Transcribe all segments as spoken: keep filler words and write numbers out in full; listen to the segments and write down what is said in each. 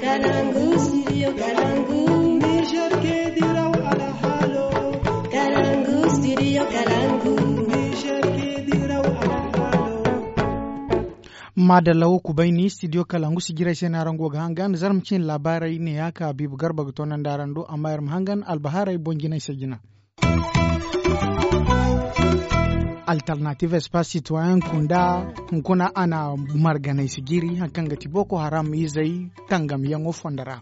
Kalangu, studio Kalangu. Niger ke diraw alhalo. Kalangu, studio Kalangu. Niger ke diraw alhalo. Madalla wo kubayni studio Kalangu si jiray se no araŋ go ga hangan zarma cine laabaarey ne ya ka biibu garba ga toonandi araŋ do amma iri ma hangan albahaarey boŋ jinay se jina. Alternative espace citoyen kunda hunkuna a na marganay si jiri hari kaŋ ga ti boko haram izey tangamyaŋo fondo ra.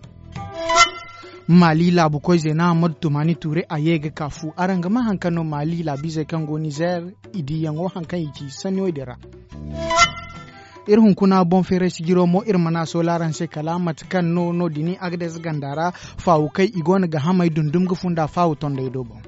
Mali laabu koyze na hammadu tumani ture a ye ga ka fu araŋ ga ma hari kaŋ no mali laabu izey kaŋ go nizer i diyaŋo hari kaŋ i ci sanni wo din ra. Iri hunkuna boŋ feeray sijiro mo iri mana sola araŋ se kala mate kaŋ no no- din agades ganda ra faawu kay i go no ga hamay dundum ga funda faawu tondey do boŋ.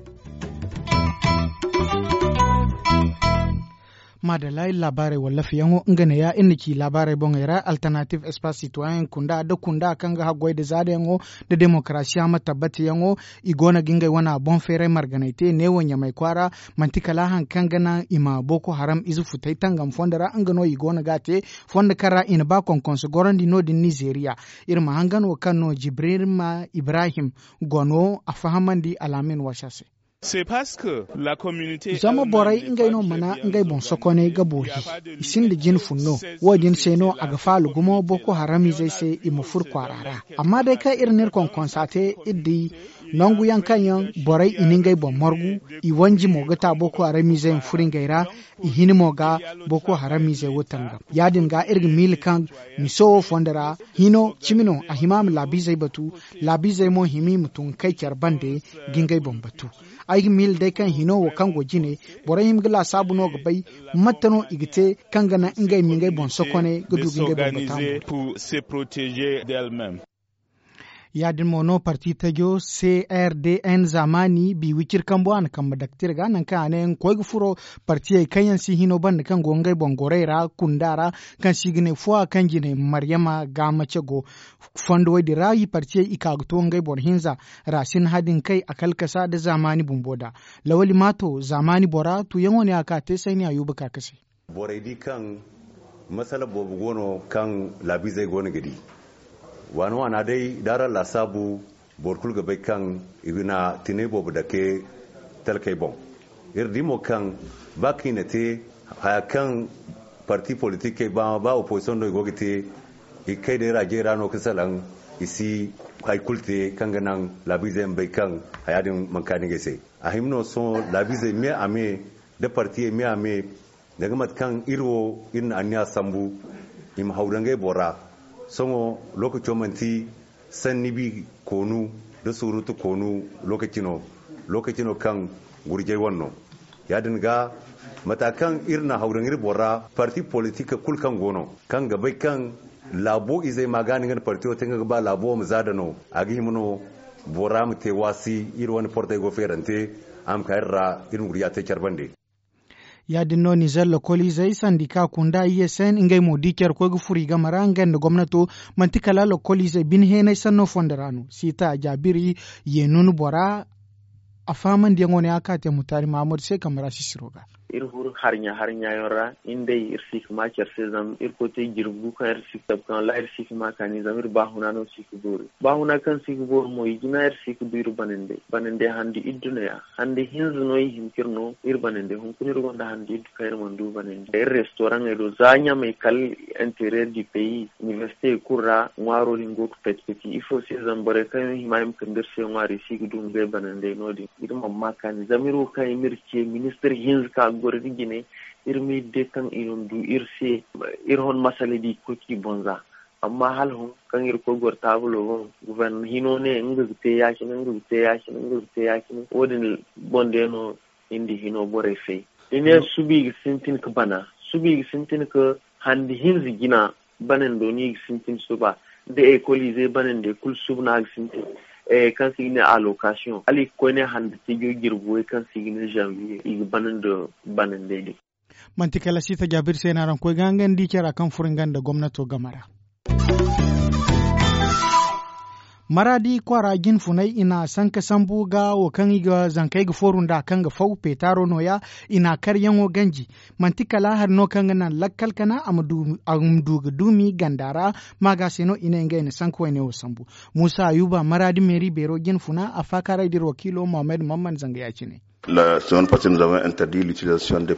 Madalla iri laabaarey wallafiyaŋo nga neeya iri na ci laabaarey boŋey ra alternative espace citoyen kunda da kunda kaŋ ga haggoy da zaadayaŋo da demokarasiya ma tabbatiyaŋo. I go no ga ngey wana boŋ feeray marganay te neewo ɲamay kwaara. Manti kala hari kaŋ ga naŋ i ma boko haram ize futay tangam fondo ra nga no i go no ga a te fondo kaŋ ra i na ba konkonso gorandi no- din nizeeriya. Iri ma hangan wo kaŋ no jibrima ibrahim go no a fahamandi alaamin wasa se. Zama borey ngey no mana ngey boŋ sokoney ga boori i sinda jine funno. Wo- din se no a ga faalu gumo boko haramizey se i ma furo kwaara ra. Amma day kaŋ iri na iri konkonsa te iri di nangu yaŋ kaŋ yaŋ borey i na ngey boŋ margu i wanji mo ga ta boko haramizey ma furo ngey ra. I hini mo ga boko haramizey wo tangam ya- din ga iri ga miila kaŋ miso wo fondo ra hino cimi no a hima ma laabiizey batu. Laabiizey mo hima i ma tun ga kay care bande ga ngey boŋ batu. Ay ga miila day kaŋ hino wo kaŋ go jine borey hima ga laasaabu no ga bay mate no i ga te kaŋ ga naŋ ngey ma ngey boŋ sokoney ga du ga ngey boŋ batu. Ya- din mo no parti tajo crdn zamani bi wiciri kambo a na kambe daktir ga nangu kaŋ a ne nga koy ga furo partiyey kaŋ yaŋ si hino banda kaŋ go ngey boŋ gorey ra kunda ra kaŋ si ga ne fuwa kaŋ jine maryama ga mace go. Fondo wo- din ra i partiyey i ka ga to ngey boro hinza ra si na hadin kay a kalkasa nda zamani bumbo da lawali ma to zamani bora tuyaŋo ne a ka te sayni a yuba ka kase. Borey di kaŋ masala boobo go no kaŋ laabiizey go no ga di. Waana waana day da araŋ laasaabu boro kulu ga bay kaŋ i na tinay boobo dake talkey boŋ. Iri di mo kaŋ ba kaŋ i na te haya kaŋ parti politikey ba opozisiyoŋ no i go ga te i ga kay day raajey ra no ga salaŋ i si hari kulu te kaŋ ga naŋ laabiizey ma bay kaŋ haya din mana kaani ngey se. A hima no sohõ laabiizey me a me nda partiyey me a me danga mate kaŋ iri wo iri na anniya sambu i ma haw da ngey boro ra. Sohõ lookaco manti sanni bi koonu nda surutu koonu lookaci no lookaci no kaŋ gurjay wane no. Ya- din ga mata kaŋ iri na haw daŋ iri boro ra parti politik kulu kaŋ go no kaŋ ga bay kaŋ laabo izey ma ga no nga na partiyo te nga ga ba laabo wo ma za da no a ga hima no bora ma te waasi iri wane portey go feerante a ma ka iri ra iri ma gurja te care bande. Ya- din no nizer lokoliizey sandika kunda i ye sen ngey mo di care koy ga furo i game ra ngey nda gomnato manti kala lokoliizey bine heenay sanno fondo ra no siita jaabiri ye nunu bora. A fahamandiyaŋo ne a ka te mutaari mahamadu se kambe ra sisiro ga. Iri furo harɲa harɲa yaŋ ra iri day iri si ga ma care se zama iri koy te jirbi gu kaŋ iri si ga tabu kaŋ wallahi iri si ga ma kaani zama iri baahuna no si ga boori. Baahuna kaŋ si ga boori mo i jina iri si ga du iri banandey banandey handi idduneya handi hinza no i hin ka iri no iri banandey hunkuna iri gonda handi iddu kaŋ iri mana du banandey iri restoraŋey do za ɲamey kala interiyer du peyi inibersite kulu ra ŋwaaro din go ga pati pati ifo se zama borey kaŋ yaŋ hima i ma kande iri se ŋwaari i si ga du ngey banandey no- din. Iri mana ma kaani zama iri wo kaŋ i ma iri ce ministir hinza ka ga goro iri jine iri ma iri de kaŋ i na du iri se. Iri hon masala di ga koy ka i boŋ za amma hala hõ kaŋ iri koy goro taabulo boŋ guverna hino ne nga ga te ya- cine nga ga te ya- cine nga ga te ya- cine wo- din boŋ day no iri nda hino borey fay. I ne suba i ga sintin ga bana suba i ga sintin ga handi hinza jina banando no i ga sintin suba da ekoliizey banandey kulu suba no a ga sintin kaŋ se i ga ne alokasiyoŋ hala i ga koy ne handi tijo jirbi way kaŋ se i ga ne zanviye i ga bana nda banandey din. Manti kala siita jaabir se no araŋ koy ga nga nda i care ra kaŋ furo nga nda gomnato game ra. Maraadi kwaara jinfunay i na sanka sambu ga wo kaŋ i ga zankey ga fooru nd'a kaŋ ga faw peetaaro nooya. I na karyaŋo ganji. Manti kala hari no kaŋ ga naŋ lakkal kana a ma du ga duumi ganda ra. Maaga se no i ne ngey na sanka wayne wo sambu. Muusa ayuba maraadi meeri beero jinfuna a faakaaray da iri wakiilo mohammed mamman zanga ya- cine.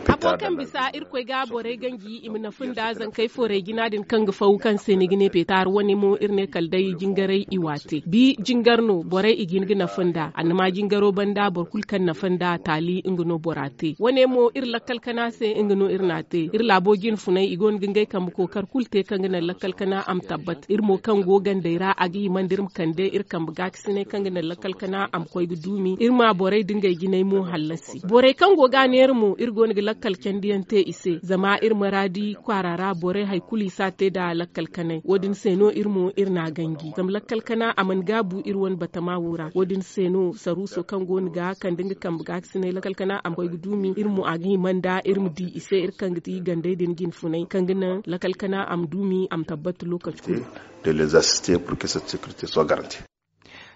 Hafo kaŋ bisa irkoy ga borey ganji i ma nafa nda zankey foorey jina din kaŋ ga faw kaŋ se ni ga ne peetaar wane mo iri ne kala day jingaray i waate bi jingar no borey i ga hin ga nafa nda annama jingaro banda boro kulu kaŋ nafa nda taali nga no bora te wane mo iri lakkal kana se nga no iri n'a te iri laabo jinfunay i go no ga ngey kambe kookar kulu te kaŋ ga naŋ lakkal kana a ma tabbat iri mo kaŋ go gandey ra a ga hima nda iri ma kande iri kambe gaakasinay kaŋ ga naŋ lakkal kana a ma koy ga duumi iri ma borey da ngey jinay mo hallasi borey kaŋ go ga a neera mo iri go no ga lakkal candiyaŋ te i se zama iri maraadi kwaara ra borey hari kulu i si a te nda lakkal kanay wo- din se no iri mo iri n'a ganji zama lakkal kana a mana gaabu iri wane batama wo ra wo- din se no saruuso kaŋ go no ga kande nga kambe gaakasinay lakkal kana a ma koy ga duumi iri mo a ga hima nda iri ma di i se iri kaŋ ga ti gandey din jinfunay kaŋ ga naŋ lakkal kana a ma duumi a ma tabbat lookaci kulu.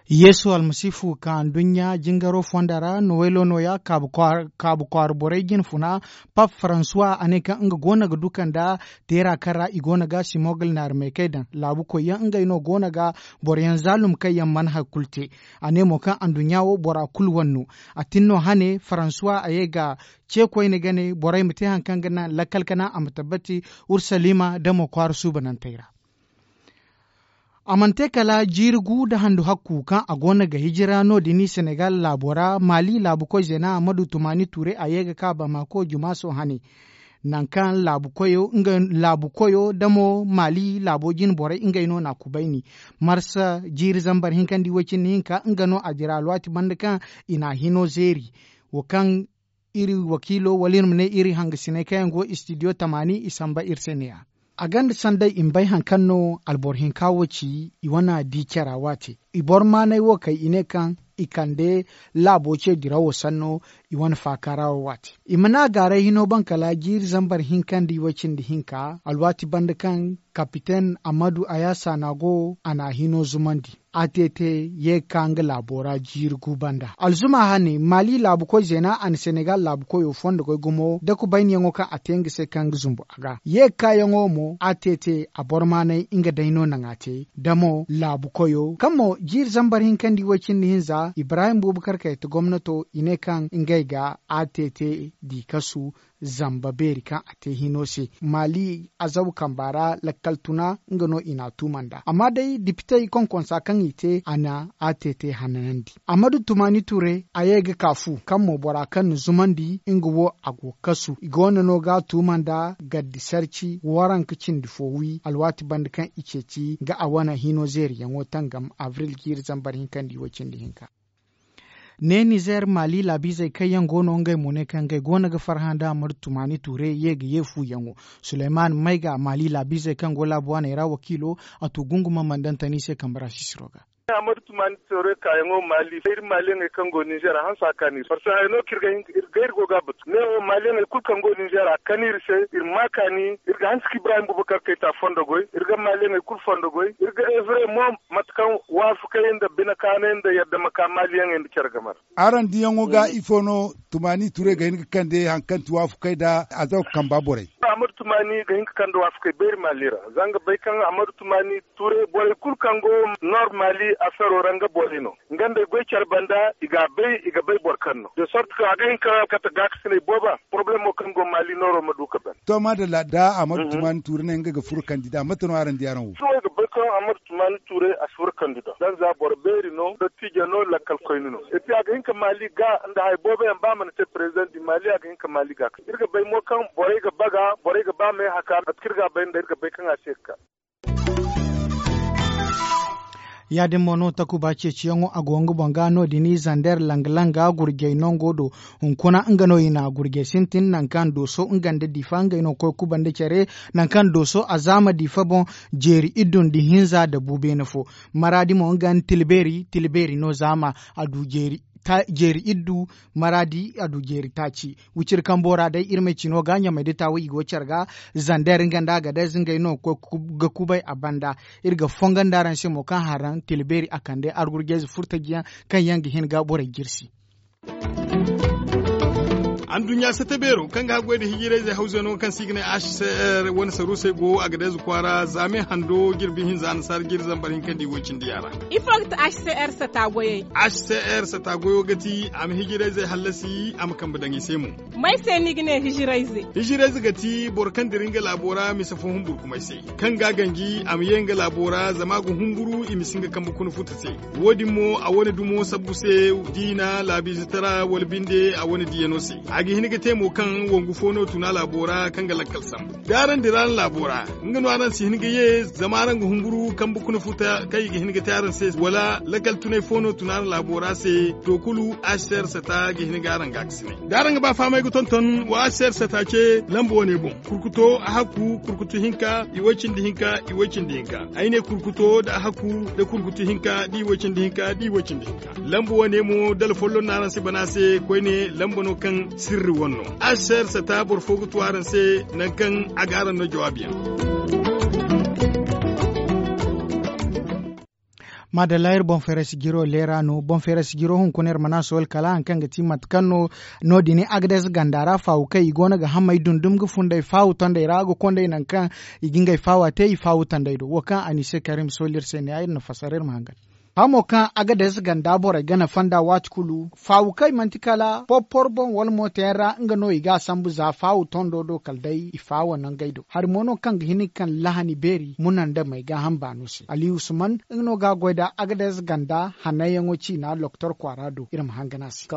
Yeesu almasiifu ka nduɲɲa jingaro fonda ra nowaylo nooya kaabu kwaara borey jinfuna. Pap faransuwa a ne kaŋ nga go no ga duka nda teera kaŋ ra i go no ga simogl naari meekey daŋ laabukoyyaŋ ngey no go no ga boroyaŋ zaalum kaŋ yaŋ mana hari kulu te. A ne mo kaŋ anduɲɲa wo bora kulu wane no. A tin no hane faransuwa a ye ga ce koyne gane borey ma te hari kaŋ ga naŋ lakkal kana a ma tabbati urusalima damo kwaara suubanantey ra. A mana te kala jiiri gu nda handu hakku kaŋ a go no ga hijira no- din senegal laabo ra maali laabukoy zeena ammadu tumaani tuure a ye ga ka bamako jumaaso hane. Nangu kaŋ laabukoyo damo maali laabo jine borey ngey no n'a kubayni marsa jiiri zambar hinkandi woy cindi hinka nga no a dira alwaati banda kaŋ i n'a hino zeeri. Wo kaŋ iri wakiilo wala iri ma ne iri hangasiney kaŋ yaŋ go istidiyo tamaani i samba iri se ne- ya. A gonda sanday i ma bay hari kaŋ no alboro hinka wo ci i wane di cara waate. I boro maanay wo kay i ne kaŋ i kande laabo ce dirawo sanno i wane faakaara wo waate. I mana gaaray hino baŋ kala jiiri zambar hinkandi woy cindi hinka alwaati banda kaŋ kapiten ammadu ayasa na go a na hino zumandi. A t t ye ga ka nga laabo ra jiiri gu banda alzuma hane maali laabukoy zeena a na senegal laabukoyo fondo goy gumo da kubayniyaŋo kaŋ a te nga se kaŋ ga zumbu a ga ye ga ka yaŋo mo a t t a boro maanay nga day no naŋ a te da mo laabukoyo kaŋ mo jiiri zambar hinkandi woy cindi hinza ibrahim bubakar kayta gomnato i ne kaŋ ngey ga a t t di kasu zamba beeri kaŋ a te hino se maali azabu kamba ra lakkal tuna nga no i n'a tuuma nd'a amma day dipitey konkonsa kaŋ i te a na a te te hananandi. Ammadu tumaani ture a ye ga ka fu kaŋ mo bora kaŋ na zumandi nga wo a go ga kasu i go no no ga a tuuma nda gaddi sarci waranka cindi fo wi alwaati banda kaŋ i ceeci ga a wane hino zeeriyaŋo tangam abril jiiri zambar hinkandi wo cindi hinka. Ne nizer maali laabiizey kaŋ yaŋ go no ngey mo ne kaŋ ngey go no ga farhã nda ammadu tumaani tuure ye ga ye fuuyaŋo. Suleyman mayga maali laabiizey kaŋ go laabu waaney ra wakiilo a tu gunguma mandantan i se kambe ra sisiro ga. Ammadu tumaani tuure kaayaŋo maali iri maaliyaŋey kaŋ go nizer a hanse a kaani iri parceque haya no kaŋ iri ga hin ga iri go ga a batu ne wo maaliyaŋey kulu kaŋ go nizer a kani iri se iri ma a kaani. Iri ga hanse ka ibrahim bubakar kayta fondo goy iri ga maaliyaŋey kulu fondo goy iri ga evre mo mate kaŋ waafakey nda bine kaanay nda yadda ma ka maaliyaŋey nda care game ra. Araŋ diyaŋo ga ifo no tumaani ture ga hin ga kande hari kaŋ ti waafakey nda azaw kamba borey? Ammadu tumaani ga hin ga kande waafakey beeri maali ra zanga bay kaŋ ammadu tumaani ture borey kulu kaŋ go nor maali afero ra nga borey no. Nga nda ay goy care banda i ga a bay i ga bay boro kaŋ no de sorte kaŋ a ga hin ka kate gaakasiney booba poroblemo kaŋ go maali nooro ma du ka ban. To maadalla da ammadu tumaani ture ne nga ga furo kandida mate no araŋ di araŋ wo? Sohõ ay ga bay kaŋ ammadu tumaani ture a si furo kandida danza boro beeri no dottijo no lakkal koyne no. Epi a ga hin ka maali ga nda hari boobo yaŋ ba a mana te president di maali a ga hin ka maali ga iri ga bay mo kaŋ borey ga baga borey ga ba meehaka mate kaŋ iri ga a bay nda iri ga bay kaŋ a si ye ga ka. Ya- din mo no takuba ceeciyaŋo a go nga boŋ ga no- din i zander langa langa gurjey nango do. Hunkuna nga no i na gurjey sintin nangu kaŋ dooso nga nda difa ngey no ga koy kubanda care nangu kaŋ dooso a zaama difa boŋ. Jeeri iddu nda hinza nda bu beene fo maraadi mo nga nda tilbeeri tilbeeri no zaama a du jeeri. Jeeri iddu maraadi a du jeeri taaci. Wiciri kambo ra day iri ma ay cino ga ɲamay da taawo i go care ga zander nga nda agadez ngey no ga kubay a banda. Iri ga fongo nda araŋ se mo kaŋ haraŋ tila beeri a kande argurjayze furtajiyaŋ kaŋ yaŋ ga hin ga borey jirsi. Anduɲɲa sata beero kaŋ ga haggoy nda hijirayzey hawzey no kaŋ se i ga ne h c r wane saruusey go agadez kwaara zaame hando jirbi hinza annasaara jiri zambar hinka nda i way cindi yaŋ ra. Ifo ga ti h c r sata goyey? H c r sata goyo ga ti a ma hijirayzey hallasi a ma kambe daŋ i se mo. May se ni ga ne hijirayze? Hijirayze ga ti boro kaŋ dira nga laabo ra mise fo humburkumay se, kaŋ ga a ganji a ma ye nga laabo ra zama a ga humburu i ma si nga kambe kuna futa se. Wo- din mo a wane dumo sabbu se, diina laabiize tara wala binde a wane diyano se. A ga hin ga te mo kaŋ wangu fo no tun a laabo ra kaŋ ga lakkal sambu da araŋ dira araŋ laabo ra, nga no araŋ si hin ga ye zama araŋ ga humburu kambe kuna futa kaŋ i ga hin ga te araŋ se wala lakkal tunay fo no tun araŋ laabo ra se. To kulu h c r sata ga hin ga araŋ ga a ga si ne da araŋ ga ba fahamay ga tonton wa h c r sata ce lamba wane boŋ. Kurkuto a hakku kurkutu hinka i way cindi hinka i way cindi hinka. Ay ne kurkuto nda a hakku nda kurkutu hinka da i way cindi hinka da i way cindi hinka. Lamba wane mo dala folloŋ no araŋ si bana se koyne lamba no kaŋ sirri wane no. H c r sata boro fo ga tu araŋ se nangu kaŋ a ga araŋ no jawaabiyaŋ. Maadalla iri boŋ feeray sijiro leera no boŋ feeray sijiro hunkuna iri mana sohol kala hari kaŋ ga ti mate kaŋ no no- din agades ganda ra faawu kaŋ i go no ga hamey dundum ga funday faawu tondey ra ga konday nangu kaŋ i ga ngey faawa te i faawu tondey do wo kaŋ anise karim sohol iri se ne ya iri na fasar iri ma hangan. Hamo kaŋ agades ganda borey ga nafa nda waati kulu faawu kaŋ i manti kala porpor boŋ wala mooto yaŋ ra nga no i ga a sambu za faawu tondo do kala day i faawa nangey do hari mo no kaŋ ga hin ga kande lahani beeri muna nda may gaaham baano se ali usman nga no ga a goy nda agades ganda hananyaŋo ciina doktor kwaara do iri ma hangan a se.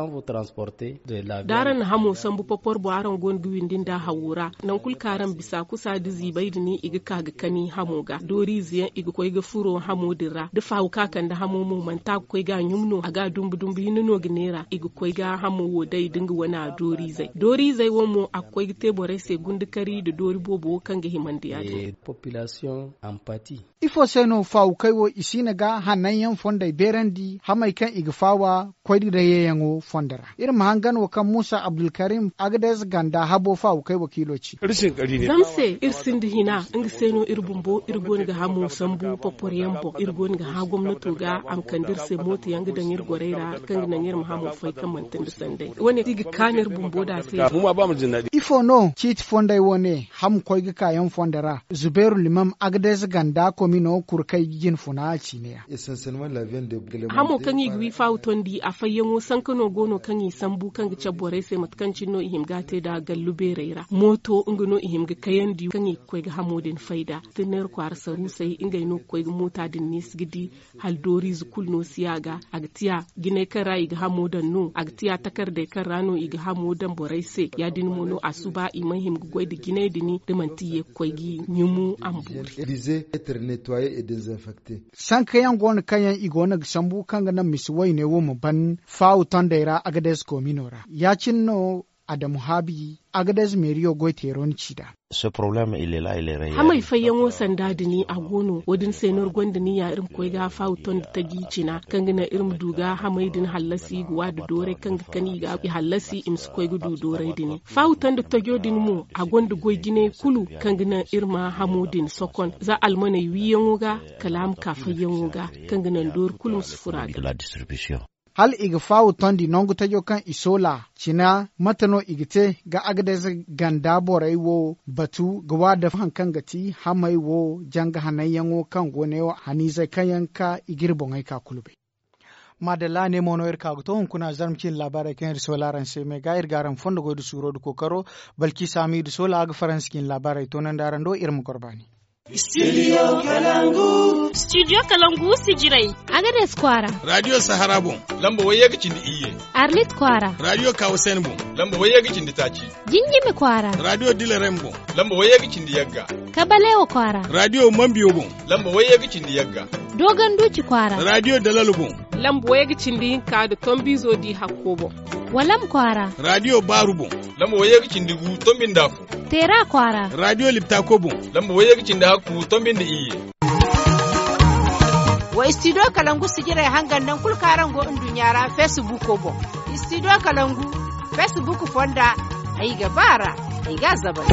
Da araŋ na hamo sambu porpor boŋ araŋ go no ga windi nda hawo ra nangu kulu kaŋ araŋ bisa kusa nda ziibay din i ga ka ga kani hamo ga dooriize yaŋ i ga koy ga furo hamo din ra da faawu kaŋ a kande hamo mo manti a ga koy ga a ɲum no a ga a dumbu dumbu hinne no ga neera i ga koy ga hamo wo day da nga wane a dooriizey dooriizey wo mo a ga koy ga te borey se gundakari nda doori boobo wo kaŋ ga himandi ya- din. Ifo se no faawukey wo i siina ga hananyaŋ fondey beerandi hamey kaŋ i ga faawa koyne dayyayaŋo fondo ra iri ma hangan wo kaŋ muusa abdulkarim agades ganda habo faawukey wakiilo ci. Zama se iri sinda hina nga se no iri bumbo iri go no ga hamo sambu porpor yaŋ boŋ iri go no ga hã gomnato ga a ma kande iri se mooto yaŋ ga daŋ iri gorey ra kaŋ ga naŋ iri ma hamo fay kaŋ manti nda sanday wane i ga kaanu iri bumbo da se. Ifo no ciiti fondey wo ne hamo koy ga kaayaŋ fondo ra zubeeru limam agades ganda komino kuru kay jinfuna a ciine ya. Hamo kaŋ i ga wi faawu tondi a fayyaŋo sanka no go no kaŋ i sambu kaŋ ga cabe borey se mate kaŋ cine no i hima ga a te nd'a gallu beerey ra mooto nga no i hima ga kayandi kaŋ i ga koy ga hamo din fay nd'a. Tinneeri kwaara saruusey ngey no ga koy ga moota din neesi ga di hala dooriize kulu no si a ga a ga tiya jinay kaŋ ra i ga hamo daŋ no a ga tiya takardey kaŋ ra no i ga hamo daŋ borey se ya- din mo no a suba i mana hima ga goy nda jinay din da manti i ye ga koy ga i ɲumu a ma boori. Sankayaŋ go no kaŋ yaŋ i go no ga sambu kaŋ ga naŋ misi wayne wo ma ban faawu tondey ra agades koomino ra ya- cine no adamu haabi agades meeriyo goy teero ni ci nd'a. Hamey fayyaŋo sanda dini a go no wo- din se no iri gonda niya iri ma koy ga faawu tondi taji cina kaŋ ga naŋ iri ma du ga hamey din hallasi ga wa nda dooray kaŋ ga kani i ga i hallasi i ma si koy ga du dooray dini faawu tondi tajo din mo a gonda goy jinay kulu kaŋ ga naŋ iri ma hamo din sokon za almaney wiiyaŋo ga kala a ma ka fayyaŋo ga kaŋ ga naŋ doori kulu ma si furo a ga. Hala i ga faawu tondi nangu tajo kaŋ i soola cina mate no i ga te ga agades ganda borey wo batu ga wa dafa hari kaŋ ga ti hamey wo janga hananyaŋo kaŋ go ne wo haniizey kaŋ yaŋ ga ka i ga iri boŋey ka kulu bay. Maadalla ne mo no iri ka ga to hunkuna zarma ciine laabaarey kaŋ iri soola araŋ se me ga iri ga araŋ fondo goy nda suuro nda kookaro balki saamiidu soola a ga faransi ciine laabaarey toonandi araŋ do iri ma goro baani. Studio kalangu sijirey. Agades kwaara. Radiyo sahara boŋ lamba wayye ga cindi iyye. Arlit kwaara. Radiyo kawasen boŋ lamba wayye ga cindi taaci. Jinjimi kwaara. Radiyo dilarem boŋ lamba wayye ga cindi yagga. Kabalewa kwaara. Radiyo mambiyo boŋ lamba wayye ga cindi yagga. Dogon duuci kwaara. Radiyo dalalu boŋ lamba wayye ga cindi hinka nda tombiizo di hakko boŋ. Walam kwaara. Radiyo baaru boŋ lamba wayye ga cindi gu tombi nda afo. Teera kwaara. Radiyo liptako boŋ lamba wayye ga cindi hakku tombi nda iyye. Istidiyo kalangu sijirey hangan naŋ kulu kaŋ araŋ go nduɲɲa ra feesibuuko boŋ. Istidiyo kalangu feesibuuku fonda, ay ga ba ra, ay ga a zabay.